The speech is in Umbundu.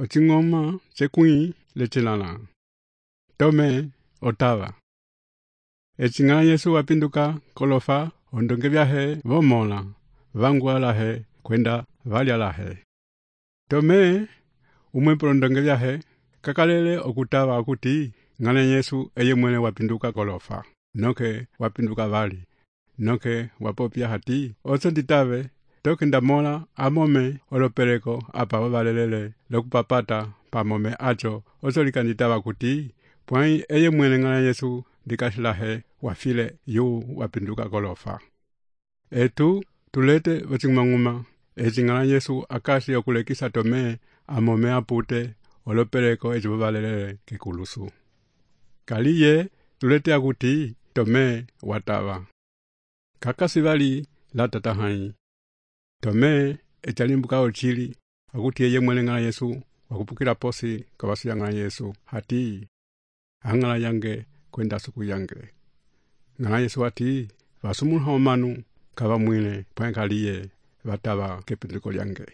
Ocing'oma cekwĩ lecelala. Tome otava. Ecing'ala Yesu wapinduka kolofa ondonge vyahe vomola, vangwa lahe kwenda valya lahe. Tome umwe polondonge vyahe kakalele okutava akuti ng'ala Yesu eye mwene wapinduka kolofa, noke wapinduka vali, noke wapopya hati oso nditave toke ndamola amome olopeleko apa wavalelele lokupapata pamome acho oso likanditava kuti pwai eye mwene ng'ala Yesu likasilahe wafile yu wapinduka kolofa. Etu tulete ocing'uma ecing'ala Yesu akasi okulekisa Tome amome apute olopeleko echo wavalelele kekulusu. Kaliye tulete akuti Tome watava. Kakasi vali la tatahai. Tome echalimbuka ochili akuti eye mwene ng'ala Yesu wakupukila posi kawasi ya ng'ala Yesu hati ang'ala yange kwenda suku yange. Ng'ala Yesu hati vasumulha omanu kava mwine pwankaliye vatava kepinduko lyange.